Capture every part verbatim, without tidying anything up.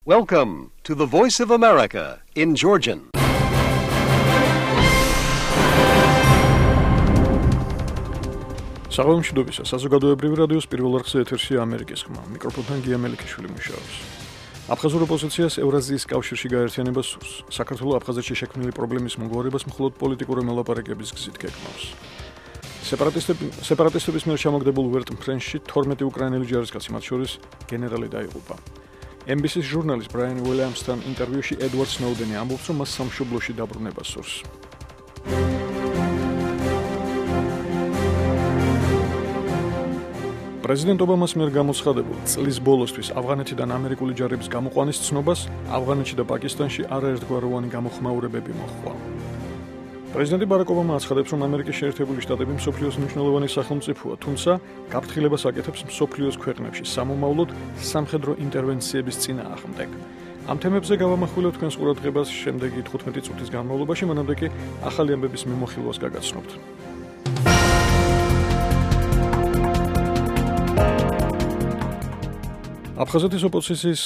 Welcome to the Voice of America in Georgian. Საღამომშვიდობისა, საზოგადოებრივი რადიოს პირველ არხზე ეთერშია ამერიკის ხმა. მიკროფონთან გია მელიქიშვილი მუშაობს. აფხაზურ ოპოზიციას ევრაზიის კავშირში გაერთიანება სურს. საქართველოს აფხაზეთში შექმნილი პრობლემის მოგვარებას მხოლოდ პოლიტიკური მოლაპარაკების გზით გეგმავს. სეპარატისტების მიერ ჩამოგდებულ ვერტმფრენში თორმეტი უკრაინელი ჯარისკაცი, მათ შორის გენერალი დაიღუპა. ემ ბი სის ჟურნალისტ ბრაიან უილიამსთან ინტერვიუში ედვარდ სნოუდენი ამბობს, რომ მას სამშობლოში დაბრუნება სურს. პრეზიდენტ ობამას მიერ გამოცხადებულ წლის ბოლოსთვის ავღანეთიდან ამერიკული ჯარების გამოყვანის ცნობას ავღანეთში და პაკისტანში არაერთგვაროვანი გამოხმაურებები მოჰყვა. პრეზიდენტი ბარაკ ობამა აცხადებს, რომ ამერიკის შეერთებული შტატები მსოფლიოს მნიშვნელოვანი სახელმწიფოა, თუმცა გაფრთხილებას აკეთებს მსოფლიოს ქვეყნებში სამომავლოდ სამხედრო ინტერვენციების წინააღმდეგ. ამ თემებზე გავამახვილებთ თქვენს ყურადღებას შემდეგი თხუთმეტი წუთის განმავლობაში, მანამდე კი ახალი ამბების მიმოხილვას გაგაცნობთ. აფხაზეთის ოპოზიციის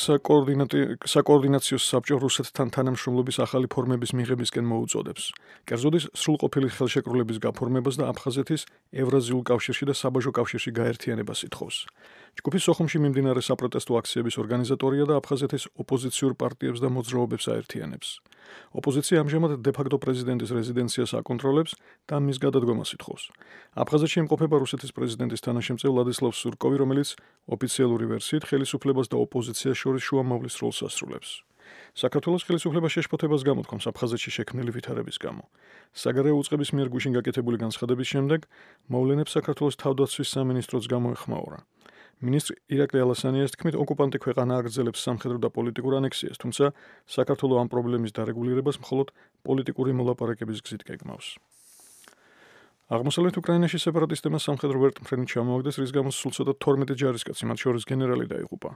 საკოორდინაციო საბჭო რუსეთთან თანამშრომლობის ახალი ფორმების მიღებისკენ მოუწოდებს. კერძოდის სრულყოფილი ხელშეკრულების გაფორმებას და აფხაზეთის ევრაზიულ კავშირში და საბაჟო კავშირში გაერთიანებას ითხოვს. ჯგუფის სოხუმში მიმდინარე საპროტესტო აქციების ორგანიზატორია და აფხაზეთის ოპოზიციურ პარტიებს და მოძრაობებს აერთიანებს. ოპოზიცია ამჟამად დე-ფაქტო პრეზიდენტის რეზიდენციას აკონტროლებს და მის გადადგომას ითხოვს. აფხაზეთში იმყოფება რუსეთის პრეზიდენტის თანაშემწე ვლადისლავ სურკოვი, რომელიც ოფიციალური ვერსიით ხელისუფლებას და ოპოზიციას შორის შუამავლის როლს ასრულებს. საქართველოს ხელისუფლება შეშფოთებას გამოთქვამს აფხაზეთში შექმნილი ვითარების გამო. საგარეო უწყების მიერ გუშინ გაკეთებული განცხადების შემდეგ მოვლენებს საქართველოს თავდაცვის სამინისტროც გამოეხმაურა. მინისტრ ირაკლი ალასანიას თქმით, ოკუპანტი ქვეყანა აგრძელებს სამხედრო და პოლიტიკურ ანექსიას, თუმცა საქართველოს ამ პრობლემის დარეგულირებას მხოლოდ პოლიტიკური მოლაპარაკების გზით გეგმავს. აღმოსავლეთ უკრაინაში სეპარატისტებმა სამხედრო ვერტმფრენი ჩამოაგდეს, რის გამოც სულ ცოტა თორმეტი ჯარისკაცი, მათ შორის გენერალი დაიღუპა.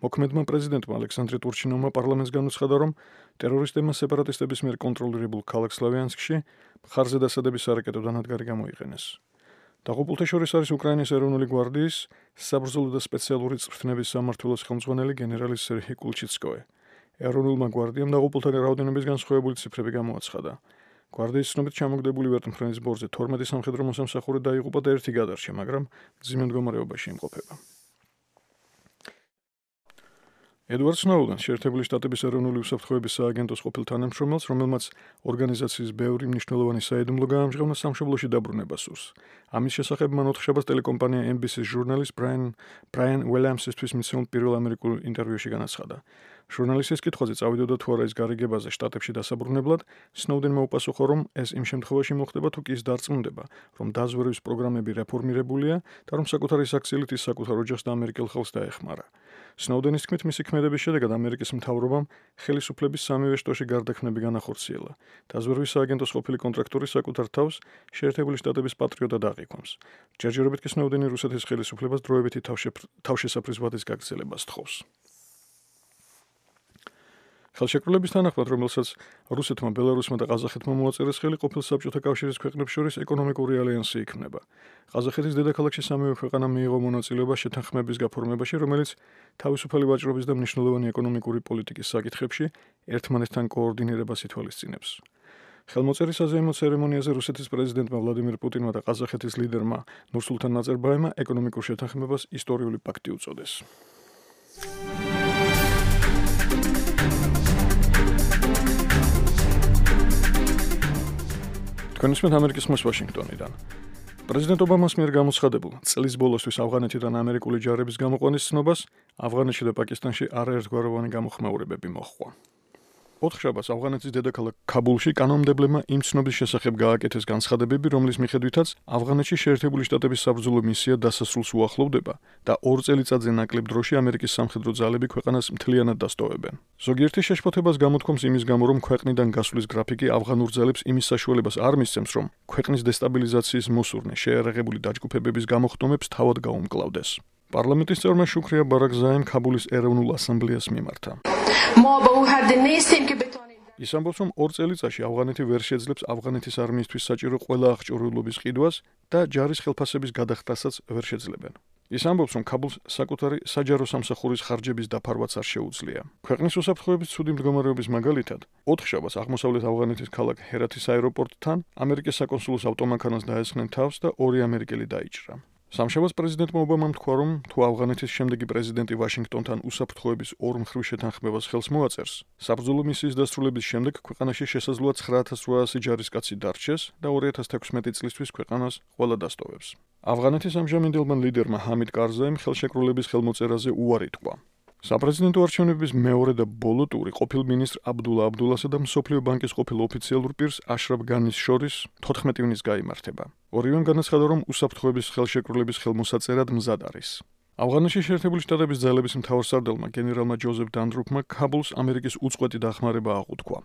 მოქმედმა პრეზიდენტმა ალექსანდრე ტურჩინოვმა პარლამენტს განუცხადა, რომ ტერორისტებმა სეპარატისტების მიერ კონტროლირებულ ქალაქ სლავიანსკში მხარზე დასადების სარაკეტო დანადგარი გამოიყენეს. დაღუპულთა შორის არის უკრაინის ეროვნული გვარდიის საბრძოლო და სპეციალური წვრთნების სამმართველოს ხელმძღვანელი გენერალი სერჰი კულჩიცკოე. ეროვნულმა გვარდიამ დაღუპულთა რაოდენობის განსხვავებული ციფრები გამოაცხადა. გვარდიის ცნობით ჩამოგდებული ვერტმფრენის ბორზე თორმეტი სამხედრო მოსამსახური დაიღუპა და ერთი გადარჩა, მაგრამ მძიმე მდგომარეობაში იმყოფება. ედვარდ სნოუდენი, შეერთებული შტატების ეროვნული უსაფრთხოების სააგენტოს ყოფილ თანამშრომელს, რომელმაც ორგანიზაციის ბევრი მნიშვნელოვანი საიდუმლო გაამჟღავნა, სამშობლოში დაბრუნება სურს. ამის შესახებ მან ოთხშაბათს ტელეკომპანია ემ ბი სის ჟურნალისტ ბრაიან ბრაიან უილიამსისთვის მიცემულ პირველ ამერიკულ ინტერვიუში განაცხადა. ჟურნალისტის კითხვაზე წავიდოდა თუ არა ის გარიგებაზე შტატებში დასაბრუნებლად, სნოუდენმა უპასუხა, რომ ეს იმ შემთხვევაში მოხდება, თუ კი ის დარწმუნდება, რომ დაზვერვის პროგრამები რეფორმირებულია და რომ საკუთარი საქციელით ის საკუთარ ოჯახს და ამერიკელ ხელს დაეხმარა. სნოუდენის თქმით, მისი ქმედების შედეგად ამერიკის მთავრობამ ხელისუფლების სამივე შტოში გარდაქმნები განახორციელა. დაზვერვის სააგენტოს ყოფილი კონტრაქტორი საკუთარ თავს შეერთებული შტატების პატრიოტად აღიქვამს. ჯერჯერობით კი სნოუდენი რუსეთის ხელისუფლებას დროებითი თავშესაფრის ვადის გაგრძელებას თხოვს. ხელშეკრულების თანახმად, რომელსაც რუსეთმა, ბელარუსმა და ყაზახეთმა მოაწერეს ხელი, ყოფილ საბჭოთა კავშირის ქვეყნებს შორის ეკონომიკური ალიანსი იქმნება. ყაზახეთის დედაქალაქში სამივე ქვეყანა მიიღო მონაწილეობა შეთანხმების გაფორმებაში, რომელიც თავისუფალი ვაჭრობის და მნიშვნელოვანი ეკონომიკური პოლიტიკის საკითხებში ერთმანეთთან კოორდინირებას ითვალისწინებს. ხელმოწერის საზეიმო ცერემონიაზე რუსეთის პრეზიდენტმა ვლადიმირ პუტინმა და ყაზახეთის ლიდერმა ნურსულთან ნაზარბაევმა ეკონომიკურ შეთანხმებას ისტორიული პაქტი უწოდეს. თქვენისმეთ ამერიკის ხმას ვაშინგტონიდან. პრეზიდენტ ობამას მიერ გამოცხადებულ წლის ბოლოსთვის ავღანეთიდან ამერიკული ჯარების გამოყვანის ცნობას ავღანეთში და პაკისტანში არაერთგვაროვანი გამოხმაურებები მოჰყვა. ოთხშაბათს ავღანეთის დედაქალაქ ქაბულში კანონმდებლებმა იმ ცნობის შესახებ გააკეთეს განცხადებები, რომლის მიხედვითაც ავღანეთში შეერთებული შტატების საბრძოლო მისია დასასრულს უახლოვდება და ორ წელიწადზე ნაკლებ დროში ამერიკის სამხედრო ძალები ქვეყანას მთლიანად დასტოვებენ. ზოგიერთი შეშფოთებას გამოთქვამს იმის გამო, რომ ქვეყნიდან გასვლის გრაფიკი ავღანურ ძალებს იმის საშუალებას არ მისცემს, რომ ქვეყნის დესტაბილიზაციის მოსურნე შეერაღებული დაჯგუფებების გამოხდომებს თავად გაუმკლავდეს. პარლამენტის წევრმა შუქრია ბარაკზაემ ქაბულის ეროვნულ ასამბლეას მიმართა. ის ამბობს, რომ ორ წელიწადში ავღანეთი ვერ შეძლებს ავღანეთის არმიისთვის საჭირო ყველა აღჭურვილობის ყიდვას და ჯარის ხელფასების გადახდასაც ვერ შეძლებენ. ის ამბობს, რომ ქაბულს საკუთარი საჯარო სამსახურის ხარჯების დაფარვაც არ შეუძლია. ქვეყნის უსაფრთხოების ცუდი მდგომარეობის მაგალითად, ოთხშაბათს აღმოსავლეთ ავღანეთის ქალაქ ჰერათის აეროპორტთან ამერიკის საკონსულოს ავტომანქანას დაესხნენ თავს და ორი ამერიკელი დაიჭრა. სამშაბათს პრეზიდენტმა ობამამ თქვა, რომ თუ ავღანეთის შემდეგი პრეზიდენტი ვაშინგტონთან უსაფრთხოების ორ მხრივ შეთანხმებას ხელს მოაწერს, საბრძოლო მისიის დასრულების შემდეგ ქვეყანაში შესაძლოა ცხრა ათას რვაასი ჯარისკაცი დარჩეს და ორი ათას თექვსმეტი წლისთვის ქვეყანას ყველა დასტოვებს. ავღანეთის ამჟამინდელმა ლიდერმა ჰამიდ კარზაიმ ხელშეკრულების ხელმოწერაზე უარი თქვა. საპრეზიდენტო არჩევნების მეორე და ბოლო ტური ყოფილ მინისტრ აბდულა აბდულასა და მსოფლიო ბანკის ყოფილ ოფიციალურ პირს აშრაფ განის შორის თოთხმეტი ივნის გაიმართება. ორივემ განაცხადა, რომ უსაფრთხოების ხელშეკრულების ხელმოსაწერად მზად არის. ავღანეთში შეერთებული შტატების ძალების მთავარსარდალმა გენერალმა ჯოზეფ დანდრუფმა ქაბულს ამერიკის უწყვეტი დახმარება აღუთქვა.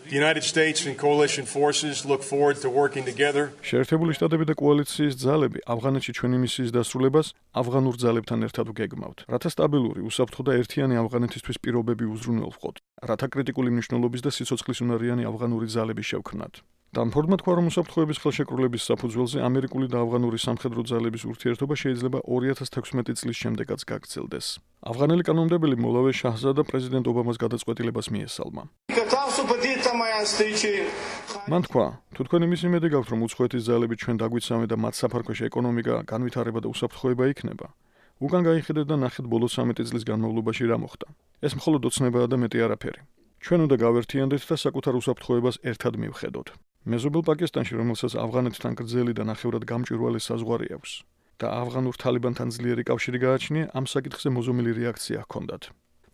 The United States and coalition forces look forward to working together. შეერთებული შტატები და კოალიციის ძალები ავღანეთში ჩვენი მისიის დასრულებას ავღანურ ძალებთან ერთად ვგეგმავთ, რათა სტაბილური, უსაფრთხო და ერთიანი ავღანეთისთვის პირობები უზრუნველყოთ, რათა კრიტიკული მნიშვნელობის და სიცოცხლისუნარიანი ავღანური ძალები შევქმნათ. დამფორდმა თქვა, რომ უსაფრთხოების ხელშეკრულების საფუძველზე ამერიკული და ავღანური სამხედრო ძალების ურთიერთობა შეიძლება ორი ათას თექვსმეტი წლის შემდეგაც გაგრძელდეს. ავღანელი კანონმდებელი მოლავე შაჰზადა პრეზიდენტ ობამას გადაწყვეტილებას მიესალმა. მან თქვა, თუ თქვენ იმის იმედი გაქვთ, რომ უცხოეთის ძალები ჩვენ დაგვიცავენ და მათ საფარქვეში ეკონომიკა, განვითარება და უსაფრთხოება იქნება, უკან გაიხედეთ და ნახეთ ბოლო ცამეტი წლის განმავლობაში რა მოხდა. ეს მხოლოდ ოცნებაა და მეტი არაფერი. ჩვენ უნდა გავერთიანდეთ და საკუთარ უსაფრთხოებას ერთად მივხედოთ. მეზობელ პაკისტანში, რომელსაც ავღანეთთან გრძელი და ნახევრად გამჭვირვალე საზღვარი აქვს და ავღანურ თალიბანთან ძლიერი კავშირი გააჩნია, ამ საკითხზე მოზომილი რეაქცია ჰქონდათ.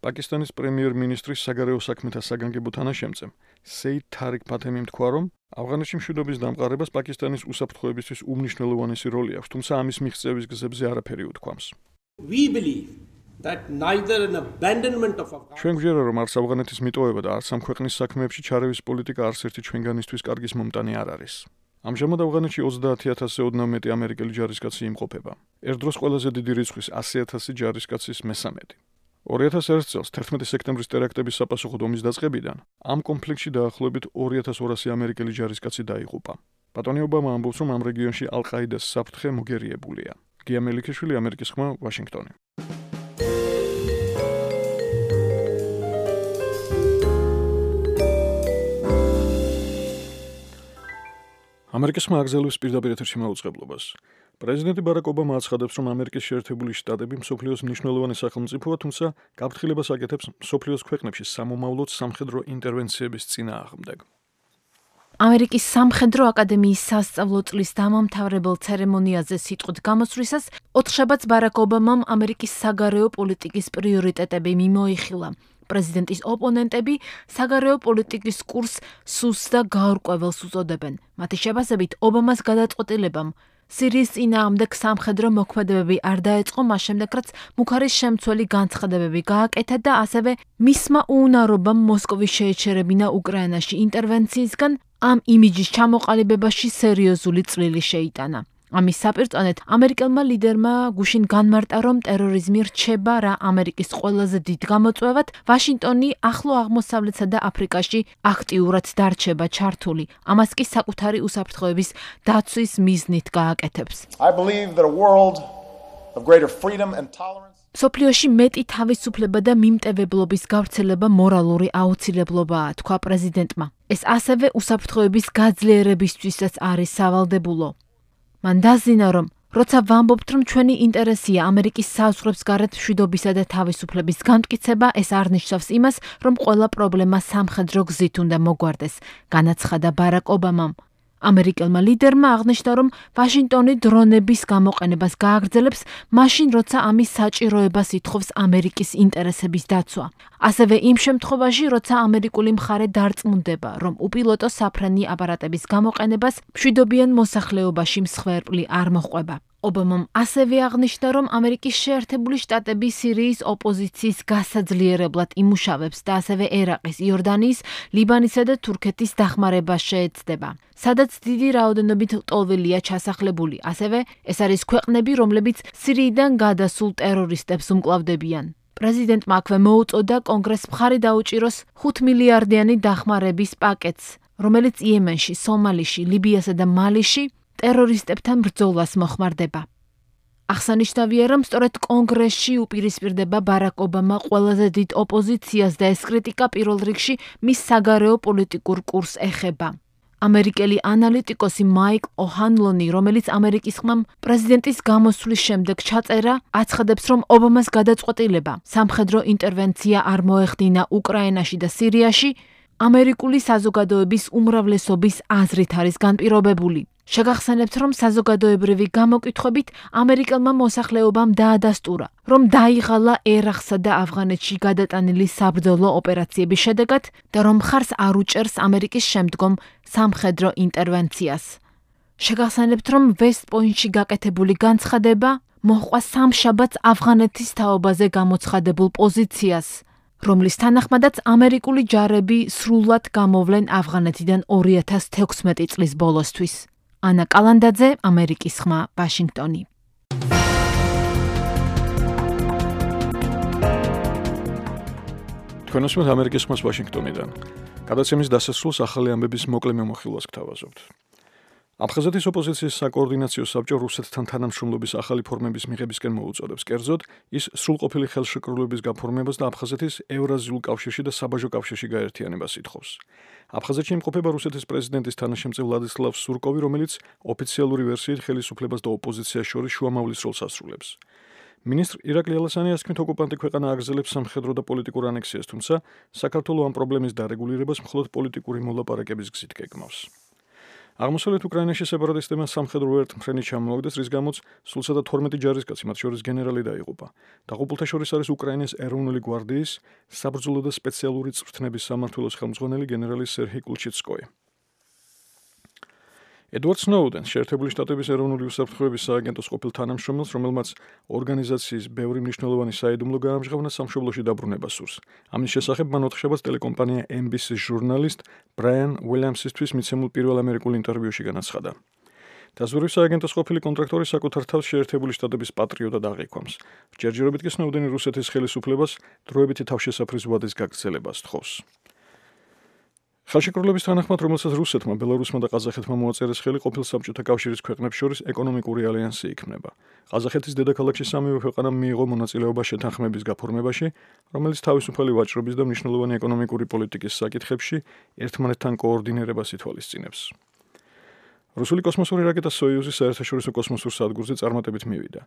პაკისტანის პრემიერ-მინისტრის საგარეო საქმეთა საგანგებო თანაშემწემ სეიდ თარიკ ფათემიმ თქვა, რომ ავღანეთში მშვიდობის დამყარებას პაკისტანის უსაფრთხოებისთვის უმნიშვნელოვანესი როლი აქვს, თუმცა ამის მიღწევის გზებზე არაფერი უთქვამს. We believe that neither an abandonment of Afghanistan ჩვენ გვჯერა, რომ არც ავღანეთის მიტოვება და არც ამ ქვეყნის საქმეებში ჩარევის პოლიტიკა არც ერთი ჩვენგანისთვის კარგის მომტანი არ არის. ამჟამად ავღანეთში ოცდაათი ათასზე ოდნავ მეტი ამერიკელი ჯარისკაცი იმყოფება. ერთ დროს ყველაზე დიდი რიცხვის ასი ათასი ჯარისკაცის მესამედი. ორი ათას ერთ წელს თერთმეტი სექტემბრის ტერაქტების საპასუხოდ ომის დაწყებიდან ამ კონფლიქტში დაახლოებით ორი ათას ორასი ამერიკელი ჯარისკაცი დაიღუპა. ბატონი ობამა ამბობს, რომ ამ რეგიონში ალ-ყაიდას საფრთხე მოგერიებულია. გია მელიქიშვილი, ამერიკის ხმა, ვაშინგტონი. ამერიკის ხმა აგზელვის პირდაპირ ეთერში მაუწყებლობას. პრეზიდენტი ბარაკ ობამა აცხადებს, რომ ამერიკის შეერთებული შტატები მსოფლიოს მნიშვნელოვანი სახელმწიფოა, თუმცა გაფრთხილებას აკეთებს მსოფლიოს ქვეყნებში სამომავლოდ სამხედრო ინტერვენციების წინააღმდეგ. ამერიკის სამხედრო აკადემიის სასწავლო წლის დამამთავრებელ ცერემონიაზე სიტყვით გამოსვლისას ოთხშაბათს ბარაკ ობამამ ამერიკის საგარეო პოლიტიკის პრიორიტეტები მიმოიხილა. პრეზიდენტის ოპონენტები საგარეო პოლიტიკის კურსს სუსტ და გაურკვეველს უწოდებენ. მათი შეფასებით, ობამას გადაწყვეტილებამ სირიის წინააღმდეგ სამხედრო მოქმედებები არ დაეწყო, მას შემდეგ რაც მუქარის შემცველი განცხადებები გააკეთა და ასევე მისმა უუნარობამ მოსკოვის შეეჩერებინა უკრაინაში ინტერვენციისგან ამ იმიჯის ჩამოყალიბებაში სერიოზული წვლილი შეიტანა. ამის საპირწონედ ამერიკელმა ლიდერმა გუშინ განმარტა, რომ ტერორიზმი რჩება რა ამერიკის ყველაზე დიდ გამოწვევად, ვაშინგტონი ახლო აღმოსავლეთსა და აფრიკაში აქტიურად დარჩება ჩართული. ამას კი საკუთარი უსაფრთხოების დაცვის მიზნით გააკეთებს. I believe that a world of greater freedom and tolerance სოფლიოში მეტი თავისუფლება და მიმტევებლობის გავრცელება მორალური აუცილებლობაა, თქვა პრეზიდენტმა. ეს ასევე უსაფრთხოების გაძლიერებისთვისაც არის სავალდებულო. მან დაზინა, რომ როცა ვამბობთ, რომ ჩვენი ინტერესია ამერიკის საზღვრებს გარეთ მშვიდობისა და თავისუფლების განმტკიცება, ეს არ ნიშნავს იმას, რომ ყველა პრობლემა სამხედრო გზით უნდა მოგვარდეს, განაცხადა ბარაკ ობამამ. ამერიკელმა ლიდერმა აღნიშნა, რომ ვაშინგტონი დრონების გამოყენებას გააგრძელებს, მაშინ როცა ამის საჭიროებას ითხოვს ამერიკის ინტერესების დაცვა. ასევე იმ შემთხვევაში, როცა ამერიკული მხარე დარწმუნდება, რომ უპილოტო საფრენი აპარატების გამოყენებას მშვიდობიან მოსახლეობაში მსხვერპლი არ მოჰყვება. ობამამ ასევე აღნიშნა, რომ ამერიკის შეერთებული შტატები სირიის ოპოზიციის გასაძლიერებლად იმუშავებს და ასევე ერაყის, იორდანიის, ლიბანისა და თურქეთის დახმარებას შეეცდება, სადაც დიდი რაოდენობით ლტოლვილია ჩასახლებული. ასევე ეს არის ქვეყნები, რომლებიც სირიიდან გადასულ ტერორისტებს უმკლავდებიან. პრეზიდენტმა აქვე მოუწოდა კონგრესს მხარი დაუჭიროს ხუთ მილიარდიანი დახმარების პაკეტს, რომელიც იემენში, სომალიში, ლიბიასა და მალიში ტერორისტებთან ბრძოლას მოხმარდება. აღსანიშნავია, რომ სწორედ კონგრესში უპირისპირდება ბარაკ ობამა ყველაზე დიდ ოპოზიციას და ეს კრიტიკა პირველ რიგში მის საგარეო პოლიტიკურ კურსს ეხება. ამერიკელი ანალიტიკოსი მაიკ ოჰანლონი, რომელიც ამერიკის ხმამ პრეზიდენტის გამოსვლის შემდეგ ჩაწერა, აცხადებს, რომ ობამას გადაწყვეტილება სამხედრო ინტერვენცია არ მოეხდინა უკრაინაში და სირიაში, ამერიკული საზოგადოების უმრავლესობის აზრით არის განპირობებული. შეგახსენებთ, რომ საზოგადოებრივი გამოკითხვებით ამერიკელმა მოსახლეობამ დაადასტურა, რომ დაიღალა ერაყსა და ავღანეთში გადატანილი საბრძოლო ოპერაციების შედეგად და რომ მხარს არ უჭერს ამერიკის შემდგომ სამხედრო ინტერვენციას. შეგახსენებთ, რომ ვესტ-პოინტში გაკეთებული განცხადება მოჰყვა სამშაბათს ავღანეთის თაობაზე გამოცხადებულ პოზიციას, რომლის თანახმადაც ამერიკული ჯარები სრულად გამოვლენ ავღანეთიდან ორი ათას თექვსმეტი წლის ბოლოსთვის. ანა კალანდაძე, ამერიკის ხმა, ვაშინგტონი. თქვენ უსმენთ ამერიკის ხმას ვაშინგტონიდან. გადაცემის დასასრულს ახალი ამბების მოკლე მიმოხილვას გთავაზობთ. აფხაზეთის ოპოზიციის საკოორდინაციო საბჭო რუსეთთან თანამშრომლობის ახალი ფორმების მიღებისკენ მოუწოდებს. კერძოდ, ის სრულყოფილი ხელშეკრულების გაფორმებას და აფხაზეთის ევრაზიულ კავშირში და საბაჟო კავშირში გაერთიანებას ითხოვს. აფხაზეთში იმყოფება რუსეთის პრეზიდენტის თანაშემწე ვლადისლავ სურკოვი, რომელიც ოფიციალური ვერსიით ხელისუფლებას და ოპოზიციას შორის შუამავლის როლს ასრულებს. მინისტრ ირაკლი ალასანიას თქმით, ოკუპანტი ქვეყანა აგრძელებს სამხედრო და პოლიტიკურ ანექსიას, თუმცა საქართველო ამ პრობლემის დარეგულირებას მხოლოდ პოლიტიკური მოლაპარაკების გზით გეგმავს. აღმოსავლეთ უკრაინაში სეპარატისტებმა სამხედრო ერთმფრენი ჩამოაგდეს, რის გამოც სულსა და თორმეტი ჯარისკაცი, მათ შორის გენერალი დაიღუპა. დაღუპულთა შორის არის უკრაინის ეროვნული გვარდიის საბრძოლო და სპეციალური წვრთნების სამმართველოს ხელმძღვანელი გენერალი სერჰი კულჩიცკოი. ედვარდ სნოუდენს, შეერთებული შტატების ეროვნული უსაფრთხოების სააგენტოს ყოფილ თანამშრომელს, რომელმაც ორგანიზაციის ბევრი მნიშვნელოვანი საიდუმლო გაამჟღავნა, სამშობლოში დაბრუნება სურს. ამის შესახებ მან ოთხშაბათს ტელეკომპანია ემ ბი სი-ს ჟურნალისტ ბრაიან უილიამსისთვის მიცემულ პირველ ამერიკულ ინტერვიუში განაცხადა. დაზვერვის სააგენტოს ყოფილი კონტრაქტორი საკუთარ თავს შეერთებული შტატების პატრიოტად აღიქვამს. ჯერჯერობით კი სნოუდენი რუსეთის ხელისუფლებას დროებითი თავშესაფრის ვადის გაგრძელებას თხოვს. ხელშეკრულების თანახმად, რომელსაც რუსეთმა, ბელარუსმა და ყაზახეთმა მოაწერეს ხელი, ყოფილ საბჭოთა კავშირის ქვეყნებს შორის ეკონომიკური ალიანსი იქმნება. ყაზახეთის დედაქალაქში სამივე ქვეყანამ მიიღო მონაწილეობა შეთანხმების გაფორმებაში, რომელიც თავისუფალი ვაჭრობის და მნიშვნელოვანი ეკონომიკური პოლიტიკის საკითხებში ერთმანეთთან კოორდინირებას ითვალისწინებს. რუსული კოსმოსური რაკეტა სოიუზი საერთაშორისო კოსმოსურ სადგურზე წარმატებით მივიდა.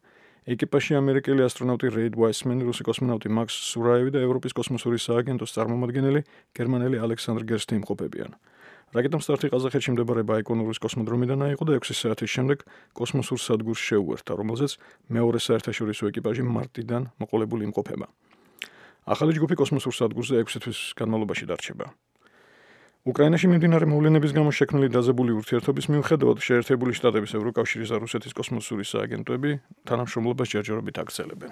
ეკიპაჟში ამერიკელი ასტრონავტი რეიდ ვაისმენი, რუსი კოსმონავტი მაქს სურაევი და ევროპის კოსმოსური სააგენტოს წარმომადგენელი გერმანელი ალექსანდრ გერსტი იმყოფებიან. რაკეტამ სტარტი ყაზახეთში მდებარე ბაიკონურის კოსმოდრომიდან აიღო და ექვსი საათის შემდეგ კოსმოსურ სადგურს შეუერთა, რომელზეც მეორე საერთაშორისო ეკიპაჟი მარტიდან მოყოლებული იმყოფება. ახალი ჯგუფი კოსმოსურ სადგურზე ექვსი თვის განმავლობაში დარჩება. უკრაინაში მიმდინარე მოვლენების გამო შექმნილი დაძაბული ურთიერთობის მიუხედავად, შეერთებული შტატების, ევროკავშირის და რუსეთის კოსმოსური სააგენტოები თანამშრომლობას ჯერჯერობით აგრძელებენ.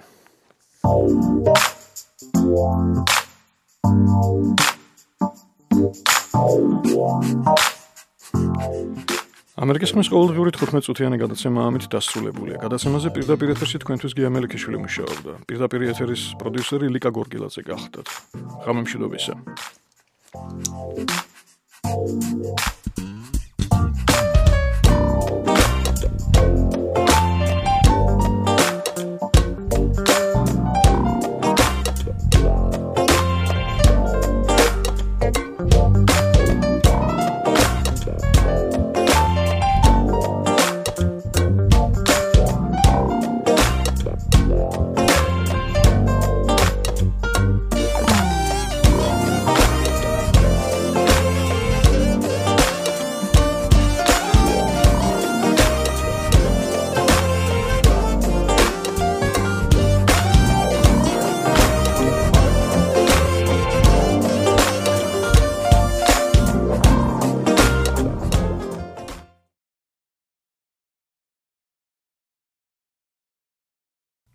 ამერიკის ხმის ყოველდღიური თხუთმეტ წუთიანი გადაცემა ამით დასრულებულია. გადაცემაზე პირდაპირ ეთერში თქვენთვის გია მელიქიშვილი მუშაობდა. პირდაპირ ეთერის პროდიუსერი ლიკა გორგილაძე გახდათ. ღამე მშვიდობისა.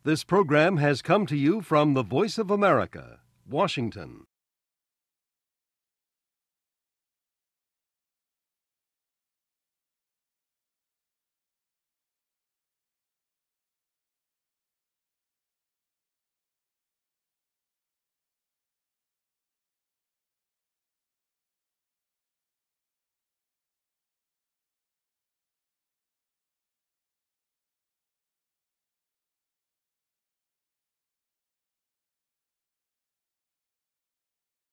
This program has come to you from the Voice of America, Washington.